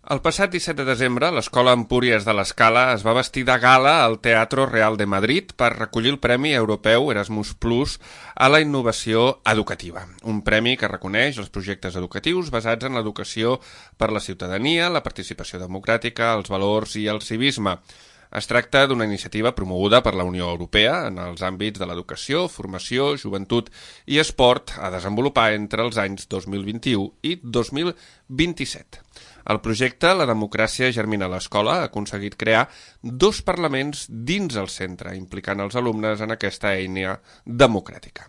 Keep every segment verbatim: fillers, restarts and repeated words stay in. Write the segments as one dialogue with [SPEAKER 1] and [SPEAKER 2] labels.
[SPEAKER 1] El passat disset de desembre, l'Escola Empúries de l'Escala es va vestir de gala al Teatro Real de Madrid per recollir el Premi Europeu Erasmus Plus a la innovació educativa. Un premi que reconeix els projectes educatius basats en l'educació per la ciutadania, la participació democràtica, els valors i el civisme. Es tracta d'una iniciativa promoguda per la Unió Europea en els àmbits de l'educació, formació, joventut i esport a desenvolupar entre els anys dos mil vint-i-u i dos mil vint-i-set. El projecte La democràcia germina a l'escola ha aconseguit crear dos parlaments dins el centre, implicant els alumnes en aquesta eina democràtica.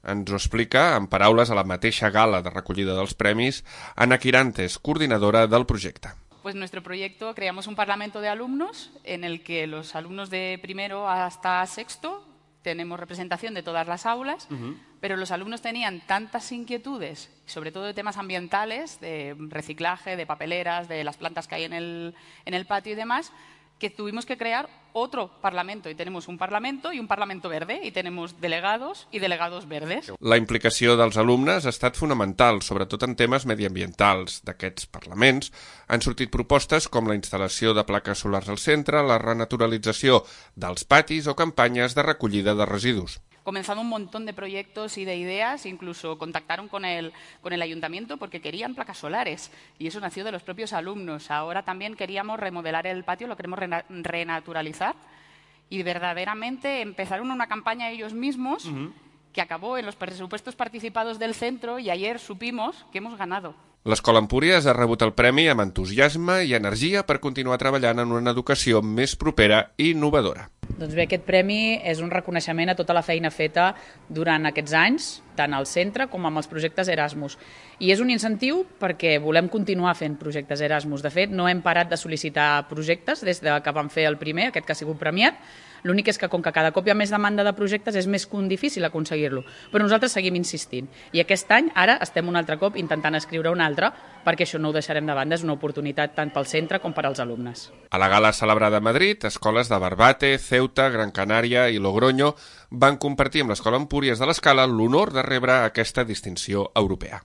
[SPEAKER 1] Ens ho explica, en paraules a la mateixa gala de recollida dels premis, Ana Quirantes, coordinadora del projecte.
[SPEAKER 2] Pues nuestro proyecto creamos un parlamento de alumnos en el que los alumnos de primero hasta sexto tenemos representación de todas las aulas, uh-huh. pero los alumnos tenían tantas inquietudes, sobre todo de temas ambientales, de reciclaje, de papeleras, de las plantas que hay en el, en el patio y demás, que tuvimos que crear otro parlamento. Y tenemos un parlamento y un parlamento verde, y tenemos delegados i delegados verdes.
[SPEAKER 1] La implicació dels alumnes ha estat fonamental, sobretot en temes mediambientals. D'aquests parlaments han sortit propostes com la instal·lació de plaques solars al centre, la renaturalització dels patis o campanyes de recollida de residus.
[SPEAKER 2] Comenzado un montón de proyectos y de ideas, incluso contactaron con el, con el ayuntamiento porque querían placas solares y eso nació de los propios alumnos. Ahora también queríamos remodelar el patio, lo queremos rena, renaturalizar y verdaderamente empezaron una campaña ellos mismos uh-huh. que acabó en los presupuestos participados del centro y ayer supimos que hemos ganado.
[SPEAKER 1] L'Escola Empúries ha rebut el premi amb entusiasme i energia per continuar treballant en una educació més propera i innovadora.
[SPEAKER 3] Doncs bé, aquest premi és un reconeixement a tota la feina feta durant aquests anys, tant al centre com amb els projectes Erasmus. I és un incentiu perquè volem continuar fent projectes Erasmus. De fet, no hem parat de sol·licitar projectes des de que vam fer el primer, aquest que ha sigut premiat. L'únic és que, com que cada cop hi ha més demanda de projectes, és més difícil aconseguir-lo. Però nosaltres seguim insistint. I aquest any, ara, estem un altre cop intentant escriure un altre, perquè això no ho deixarem de banda. És una oportunitat tant pel centre com per als alumnes.
[SPEAKER 1] A la gala celebrada a Madrid, escoles de Barbate, Ceuta, Gran Canària i Logroño van compartir amb l'Escola Empúries de l'Escala l'honor de rebre aquesta distinció europea.